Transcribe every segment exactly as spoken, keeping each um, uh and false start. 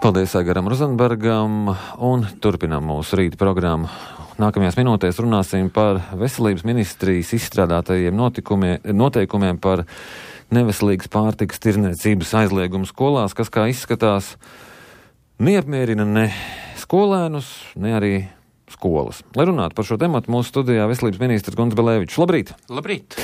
Paldies Aigaram Rozenbergam, un turpinām mūsu rīta programmu. Nākamajās minūtēs runāsim par veselības ministrijas izstrādātajiem noteikumiem par neveselīgas pārtikas tirdzniecības aizliegumu skolās, kas, kā izskatās, neapmierina ne skolēnus, ne arī skolas. Lai runātu par šo tematu, mūsu studijā veselības ministrs Gunts Belēvičs. Labrīt! Labrīt!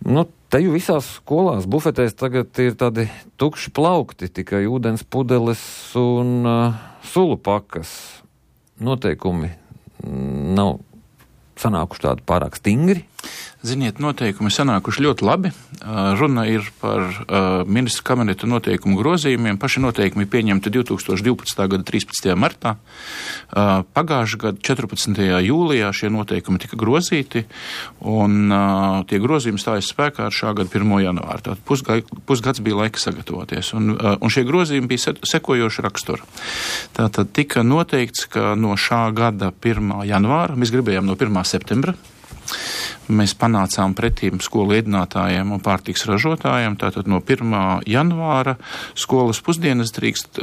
Nu, te jau visās skolās, bufetēs tagad ir tādi tukši plaukti, tikai ūdens pudeles un uh, sulu pakas. Noteikumi nav sanākuši tādi pārāk stingri. Ziniet, noteikumi sanākuši ļoti labi. Runa ir par uh, ministru kabineta noteikumu grozījumiem. Paši noteikumi pieņemti divtūkstoš divpadsmitā gada trīspadsmitajā martā. Uh, pagājušā gada četrpadsmitajā jūlijā šie noteikumi tika grozīti, un uh, tie grozījumi stājas spēkā ar šā gada pirmo janvāru. Tātad pusga, pusgads bija laika sagatavoties, un, uh, un šie grozījumi bija sekojoši rakstura. Tātad tika noteikts, ka no šā gada pirmā janvāra, mēs gribējām no pirmā septembra, mēs panācām pretīm skolu ēdinātājiem un pārtiks ražotājiem. Tātad no pirmā janvāra skolas pusdienas drīkst,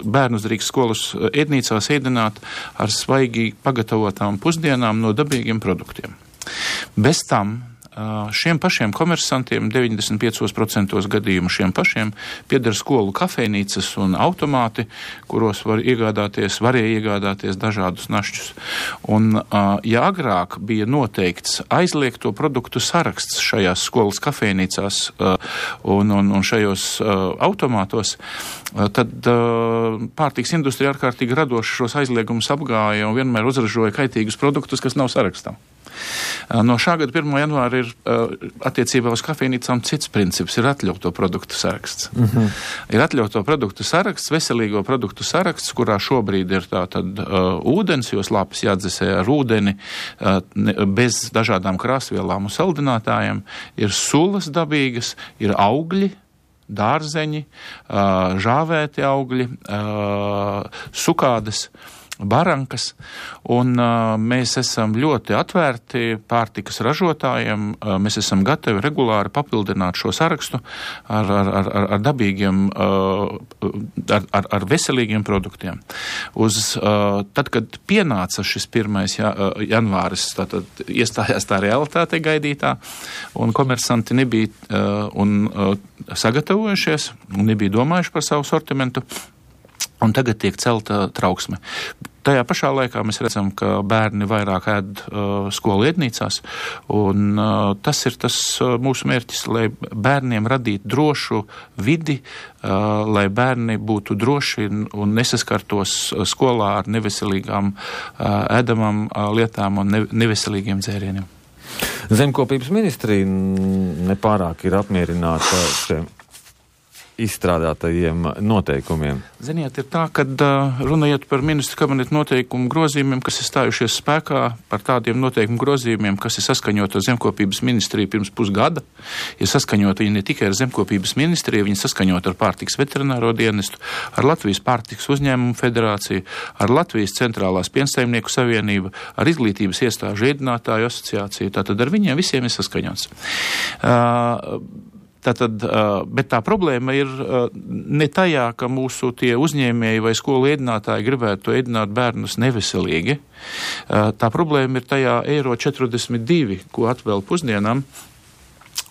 bērnus drīkst skolas ēdnīcās ēdināt ar svaigi pagatavotām pusdienām no dabīgiem produktiem. Bez tam šiem pašiem komersantiem, deviņdesmit piecos procentos gadījumu šiem pašiem, pieder skolu kafejnīcas un automāti, kuros var iegādāties, varēja iegādāties dažādus našķus. Un, ja agrāk bija noteikts aizliegto produktu saraksts šajās skolas kafejnīcās un, un, un šajos automātos, tad pārtiks industrija ārkārtīgi radoši šos aizliegumus apgāja un vienmēr uzražoja kaitīgus produktus, kas nav sarakstā. No šā gada pirmā janvāra ir uh, attiecībā uz kafejnīcām cits princips, ir atļauto produktu saraksts. Mm-hmm. Ir atļauto produktu saraksts, veselīgo produktu saraksts, kurā šobrīd ir tātad uh, ūdens, jo slāpes jāatdzesē ar ūdeni, uh, ne, bez dažādām krāsvielām un saldinātājiem, ir sulas dabīgas, ir augļi, dārzeņi, uh, žāvēti augļi, uh, sukādes, barankas, un uh, mēs esam ļoti atvērti pārtikas ražotājiem, uh, mēs esam gatavi regulāri papildināt šo sarakstu ar, ar, ar, ar dabīgiem, uh, ar, ar, ar veselīgiem produktiem. Uz, uh, tad, kad pienāca šis pirmais ja, uh, janvāris, tātad iestājās tā realitāte gaidītā, un komersanti nebija uh, un, uh, sagatavojušies, un nebija domājuši par savu sortimentu, un tagad tiek celta trauksme. Tajā pašā laikā mēs redzam, ka bērni vairāk ēd uh, skolu ēdnīcās, un uh, tas ir tas uh, mūsu mērķis, lai bērniem radītu drošu vidi, uh, lai bērni būtu droši un nesaskartos skolā ar neveselīgām uh, ēdamām uh, lietām un ne, neveselīgiem dzērieniem. Zemkopības ministrija nepārāk ir apmierināta šiem izstrādātajiem noteikumiem. Ziniet, ir tā, kad uh, runājot par ministru kabineta noteikumu grozījumiem, kas ir stājušies spēkā, par tādiem noteikumu grozījumiem, kas ir saskaņoti ar Zemkopības ministriju pirms pusgada, ir saskaņoti viņi ne tikai ar Zemkopības ministriju, viņi saskaņoti ar pārtiks veterināro dienestu, ar Latvijas pārtiks uzņēmumu federāciju, ar Latvijas centrālās piensaimnieku savienību, ar izglītības iestāžu ēdinātāju asociāciju, tātad ar viņiem visiem ir saskaņots. Uh, Tātad, bet tā problēma ir ne tajā, ka mūsu tie uzņēmēji vai skolu ēdinātāji gribētu ēdināt bērnus neveselīgi. Tā problēma ir tajā eiro četrdesmit divi, ko atvēl pusdienām.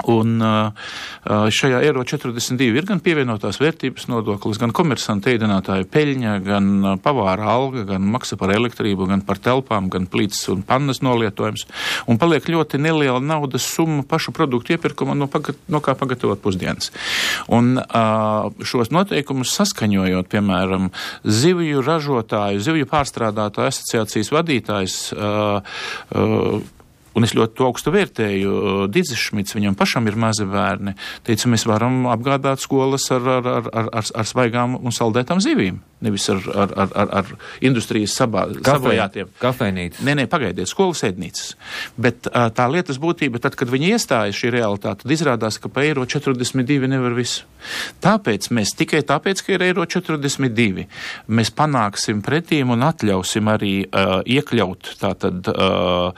Un šajā eiro četrdesmit divi ir gan pievienotās vērtības nodoklis, gan komersanta ēdinātāja peļņa, gan pavāra alga, gan maksa par elektrību, gan par telpām, gan plīts un pannas nolietojums. Un paliek ļoti neliela naudas summa pašu produktu iepirkuma, no, pagat, no kā pagatavot pusdienas. Un šos noteikumus saskaņojot, piemēram, zivju ražotāju, zivju pārstrādātāju asociācijas vadītājs, un es ļoti to augstu vērtēju, Didzis Šmits, viņam pašam ir mazi bērni, teica, mēs varam apgādāt skolas ar, ar, ar, ar, ar svaigām un saldētām zivīm, nevis ar, ar, ar, ar, ar industrijas sabā, sabojātiem. Kafejnīcas. Nē, nē, pagaidiet, skolas ēdnīcas. Bet tā lietas būtība, tad, kad viņi iestājas šī realitāte, tad izrādās, ka pa eiro četrdesmit divi nevar visu. Tāpēc mēs, tikai tāpēc, ka ir eiro četrdesmit divi, mēs panāksim pretīm un atļausim arī uh, iekļaut tātad uh,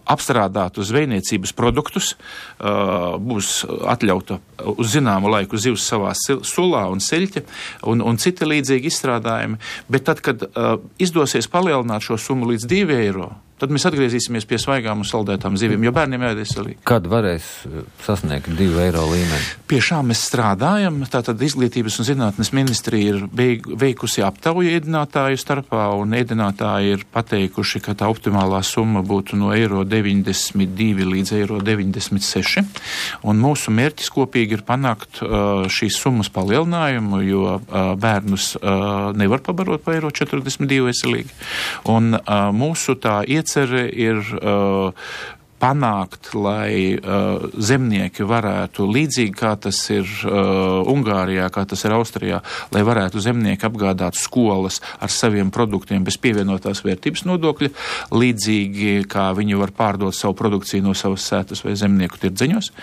apstākļus apstrādātu zvejniecības produktus, būs atļauta uz zināmu laiku zivs savā sulā un seļķe un, un citi līdzīgi izstrādājumi, bet tad, kad izdosies palielināt šo summu līdz divi eiro, tad mēs atgriezīsimies pie svaigām un saldētām zivīm, jo bērniem ēd veselīgi. Kad varēs sasniegt divu eiro līmeni? Pie šā mēs strādājam. Tātad Izglītības un zinātnes ministrija ir veikusi aptauju ēdinātāju starpā, un ēdinātāji ir pateikuši, ka tā optimālā summa būtu no eiro deviņdesmit divi līdz eiro deviņdesmit seši. Un mūsu mērķis kopīgi ir panākt uh, šīs summas palielinājumu, jo uh, bērnus uh, nevar pabarot pa eiro četrdesmit divi veselīgi. Un uh, mūsu tā iet Cere ir uh, panākt, lai uh, zemnieki varētu, līdzīgi kā tas ir uh, Ungārijā, kā tas ir Austrijā, lai varētu zemnieki apgādāt skolas ar saviem produktiem bez pievienotās vērtības nodokļa, līdzīgi kā viņi var pārdot savu produkciju no savas sētas vai zemnieku tirdziņos.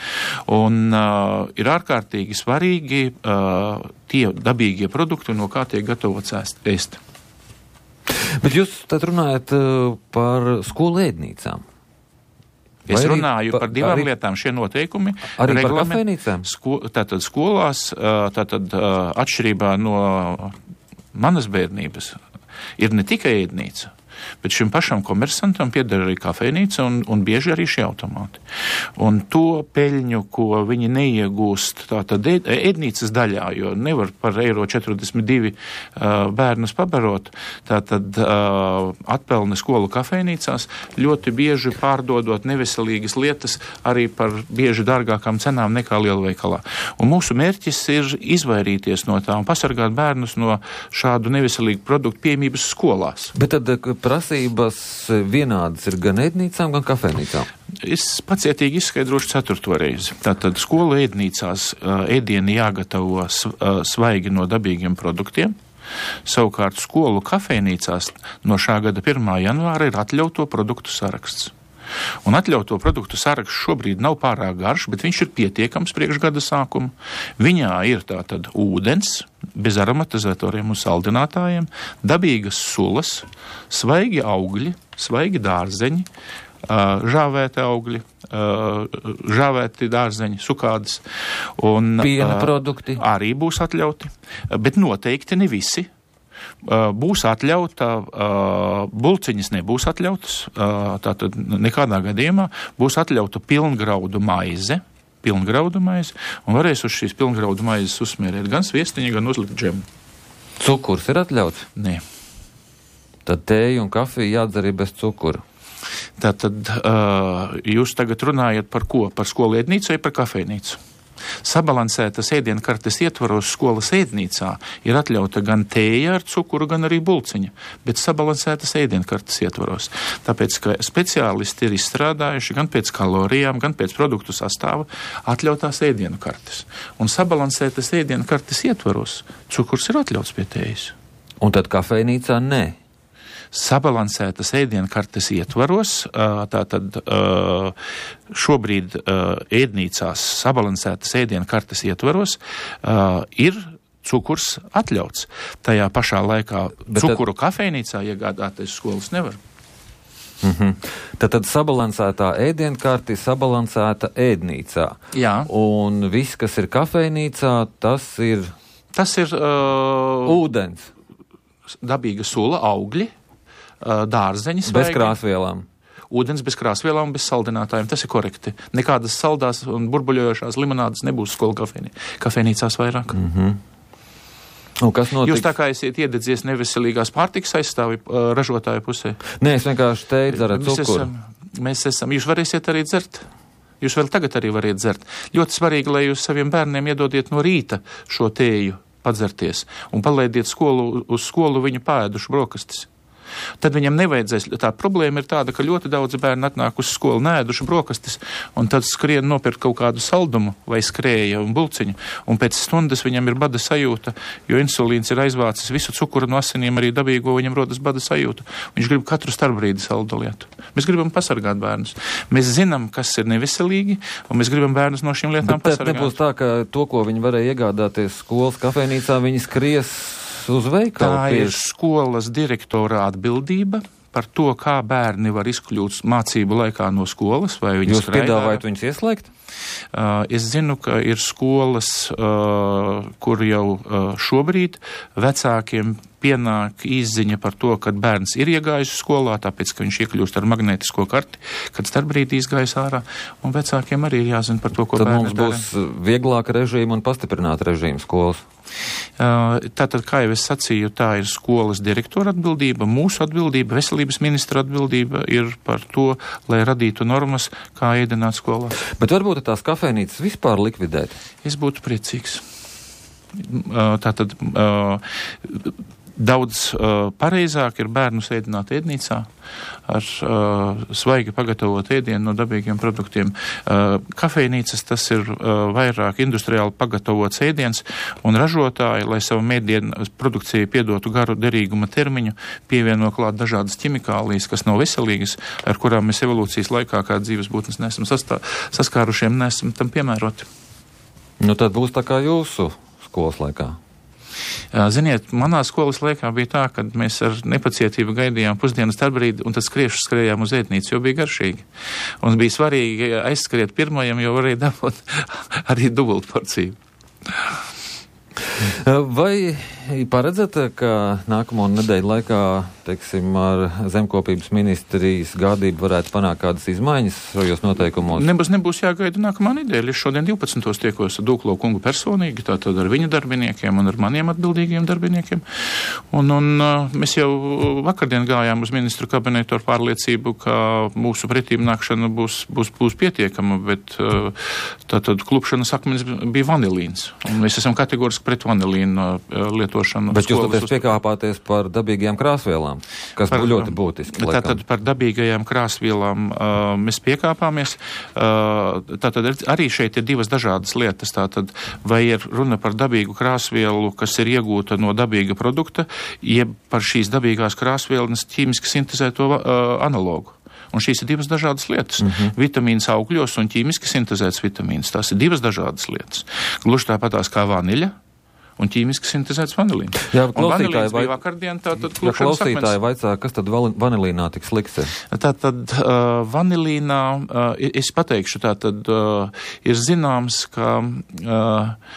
Un uh, ir ārkārtīgi svarīgi uh, tie dabīgie produkti, no kā tiek gatavots ēst. Bet jūs tad runājat uh, par skolu ēdnīcām. Es Vai runāju pa, par divām arī, lietām. Šie noteikumi. Arī par kafejnīcām? Sko, tātad skolās, tātad atšķirībā no manas bērnības, ir ne tikai ēdnīca, bet šim pašam komersantam pieder arī kafejnīca un, un bieži arī šie automāti. Un to peļņu, ko viņi neiegūst tātad ēdnīcas daļā, jo nevar par eiro četrdesmit divi uh, bērnus pabarot, tātad uh, atpelne skolu kafejnīcās ļoti bieži pārdodot neveselīgas lietas arī par bieži dārgākām cenām nekā lielveikalā. Un mūsu mērķis ir izvairīties no tā un pasargāt bērnus no šādu neveselīgu produktu pieejamības skolās. Bet tad prasības vienādas ir gan ēdnīcām, gan kafejnīcām? Es pacietīgi izskaidrošu ceturto reizi. Tātad skolu ēdnīcās ēdieni jāgatavo svaigi no dabīgiem produktiem. Savukārt skolu kafejnīcās no šā gada pirmā janvāra ir atļauto produktu saraksts. Un atļauto produktu saraksts šobrīd nav pārāk garš, bet viņš ir pietiekams priekš gada sākuma. Viņā ir tātad ūdens, bez aromatizētoriem un saldinātājiem, dabīgas sulas, svaigi augļi, svaigi dārzeņi, žāvēti augļi, žāvēti dārzeņi, sukādas. Un piena produkti arī būs atļauti, bet noteikti ne visi. Būs atļauta, bulciņas nebūs atļautas, tātad nekādā gadījumā būs atļauta pilngraudu maize, pilngraudu maize, un varēs uz šīs pilngraudu maizes uzsmērēt gan sviestiņu, gan uzlikt džemu. Cukurs ir atļauts? Nē. Tad tēju un kafiju jādzer arī bez cukura. Tātad uh, jūs tagad runājat par ko? Par skolu ēdnīcu vai par kafejnīcu? Sabalansētas ēdienkartes ietvaros skolas ēdnīcā ir atļauta gan tēja ar cukuru, gan arī bulciņa, bet sabalansētas ēdienkartes ietvaros. Tāpēc, ka speciālisti ir izstrādājuši gan pēc kalorijām, gan pēc produktu sastāva atļautās ēdienkartes. Un sabalansētas ēdienkartes ietvaros cukurs ir atļauts pie tējas. Un tad kafejnīcā nē? Sabalansētas ēdienkartes ietvaros, tātad šobrīd ēdnīcās sabalansētas ēdienkartes ietvaros ir cukurs atļauts. Tajā pašā laikā Bet cukuru tad... kafejnīcā iegādāties skolas nevar. Mm-hmm. Tātad sabalansētā ēdienkarte ir sabalansēta ēdnīcā. Jā. Un viss, kas ir kafejnīcā, tas ir... Tas ir... Uh, ūdens. Dabīga sula, augļi. Dārzeņi svaigi. Bez krāsvielām. Ūdens bez krāsvielām un bez saldinātājiem. Tas ir korekti. Nekādas saldās un burbuļojošās limonādes nebūs skolu kafejnī. kafejnīcās vairāk. Mm-hmm. Un kas notiks? Jūs tā kā esiet iededzies neveselīgās pārtikas aizstāvi uh, ražotāju pusē? Nē, es vienkārši teicu ar cukuru. Esam, mēs esam. Jūs varēsiet arī dzert. Jūs vēl tagad arī variet dzert. Ļoti svarīgi, lai jūs saviem bērniem iedodiet no rīta šo tēju padzerties un palaidiet skolu, uz skolu viņu pāēdušu brokastis. Tad viņam nevajadzēs, tā problēma ir tāda, ka ļoti daudz bērni atnāk uz skolu nēduši brokastis, un tad skrien nopirkt kaut kādu saldumu vai skrēja un bulciņu, un pēc stundas viņam ir bada sajūta, jo insulīns ir aizvācis visu cukuru no asinīm, arī dabīgo, viņam rodas bada sajūta. Viņš grib katru starpbrīdi saldu lietu. Mēs gribam pasargāt bērnus. Mēs zinām, kas ir neveselīgi, un mēs gribam bērnus no šīm lietām Bet pasargāt. Bet nebūs tā, ka to, ko viņi varēja iegādāties skolas kafejnīcā, viņi skries uz veikalu. Tā ir skolas direktora atbildība par to, kā bērni var izkļūt mācību laikā no skolas. Vai viņi Jūs piedāvājat viņus ieslēgt? Uh, es zinu, ka ir skolas, uh, kur jau uh, šobrīd vecākiem pienāk izziņa par to, kad bērns ir iegājis skolā, tāpēc, ka viņš iekļūst ar magnētisko karti, kad starpbrīdī izgājis ārā, un vecākiem arī ir jāzina par to, ko Tad bērni dara. Tad mums būs vieglāka režīma un pastiprināta režīma skolas. Uh, tātad, kā jau es sacīju, tā ir skolas direktora atbildība, mūsu atbildība, veselības ministra atbildība ir par to, lai radītu normas, kā ēdināt skolā. Bet varbūt tās kafejnīcas vispār likvidēt? Es būtu priecīgs. Uh, tātad uh, daudz uh, pareizāk ir bērnus ēdināt ēdnīcā ar uh, svaigi pagatavot ēdienu no dabīgiem produktiem. Uh, kafejnīcas tas ir uh, vairāk industriāli pagatavots ēdiens, un ražotāji, lai savu mēdienu produkciju piedotu garu derīguma termiņu, pievieno klāt dažādas ķimikālijas, kas nav veselīgas, ar kurām mēs evolūcijas laikā kā dzīves būtnes nesam sastā, saskārušiem, nesam tam piemēroti. Nu tad būs tā kā jūsu skolas laikā. Ziniet, manā skolas laikā bija tā, ka mēs ar nepacietību gaidījām pusdienas starpbrīdi, un tad skriešus skrējām uz ēdnīcu, jo bija garšīgi. Un bija svarīgi aizskriet pirmajam, jo varēja dabūt arī dubult porciju. Vai paredzat, ka nākamo nedēļu laikā, teiksim, ar zemkopības ministrijas gādību varētu panākt kādas izmaiņas šajos noteikumos? Nebūs, nebūs jāgaida nākamā nedēļa. Es šodien divpadsmitos tiekos ar Dūklo kungu personīgi, tātad ar viņa darbiniekiem un ar maniem atbildīgiem darbiniekiem. Un, un mēs jau vakardien gājām uz ministru kabinetu ar pārliecību, ka mūsu pretīm nākšana būs, būs, būs pietiekama, bet tātad klupšanas akmens bija vanilīns. Un mēs esam kategoriski pret vanilīnu lietošanu. Bet jūs tāpēc piekāpāties par dabīgajām krāsvielām, kas par, ļoti būtiski. Tātad par dabīgajām krāsvielām uh, mēs piekāpāmies. Uh, tātad arī šeit ir divas dažādas lietas. Tātad vai ir runa par dabīgu krāsvielu, kas ir iegūta no dabīga produkta, jeb par šīs dabīgās krāsvielas ķīmiski sintezēto uh, analogu. Un šīs ir divas dažādas lietas. Mm-hmm. Vitamīns augļos un ķīmiski sintezēts vitamīns. Tās ir divas dažādas lietas. Gluži tāpatās kā vaniļa un ķīmiski sintezēts vanilīns. Jā, un vanilīns vai... bija vakardien, tātad klupšanas akmens. Klausītāji vaicā, kas tad vanilīnā tik slikts ir? Tātad uh, vanilīnā, uh, es pateikšu, tātad uh, ir zināms, ka uh,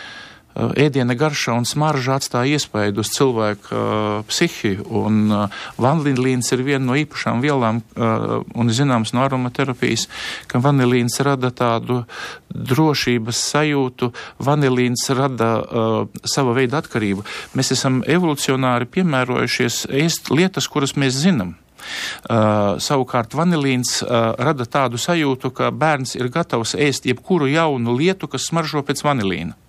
ēdiena garša un smarža atstāja iespaidu uz cilvēku uh, psihi, un uh, vanilīns ir viena no īpašām vielām, uh, un zināms no aromaterapijas, ka vanilīns rada tādu drošības sajūtu, vanilīns rada uh, sava veida atkarību. Mēs esam evolucionāri piemērojušies ēst lietas, kuras mēs zinām. Uh, savukārt vanilīns uh, rada tādu sajūtu, ka bērns ir gatavs ēst jebkuru jaunu lietu, kas smaržo pēc vanilīna.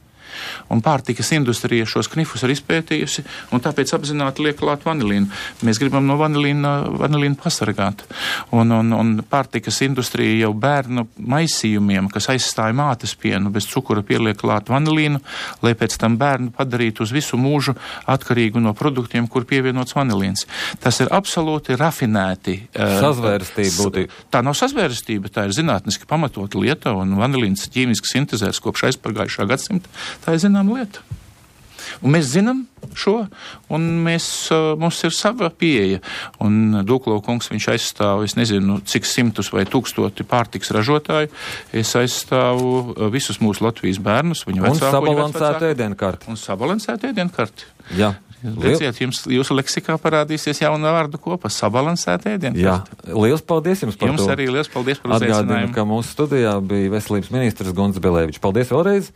Un pārtikas industrija šos knifus ir izpētījusi, un tāpēc apzināti liek klāt vanilīnu. Mēs gribam no vanilīna, vanilīnu pasargāt. Un, un, un pārtikas industrija jau bērnu maisījumiem, kas aizstāja mātes pienu, bez cukura pieliek klāt vanilīnu, lai pēc tam bērnu padarītu uz visu mūžu atkarīgu no produktiem, kur pievienots vanilīns. Tas ir absolūti rafinēti. Sazvērstība būtu. Tā nav sazvērstība, tā ir zinātniski pamatota lieta, un vanilīns ķīmiski sintezēts kopš aizpagājušā gadsimta. Tā ir zināma lieta. Un mēs zinām šo, un mēs, mums ir sava pieeja. Un Dūklo kungs, viņš aizstāv, es nezinu, cik simtus vai tūkstoti pārtiks ražotāju. Es aizstāvu visus mūsu Latvijas bērnus. Un sabalansētu ēdienkarti. Un sabalansētu ēdienkarti. Jā. Redziet, jums, jūsu leksikā parādīsies jauna vārdu kopa - sabalansēta ēdienkarti. Jā, liels paldies jums par jums to. Jums arī liels paldies par uzaicinājumu. Atgādinu, ka mūsu studijā bija veselības ministrs Gunts Bilevičs. Paldies vēlreiz!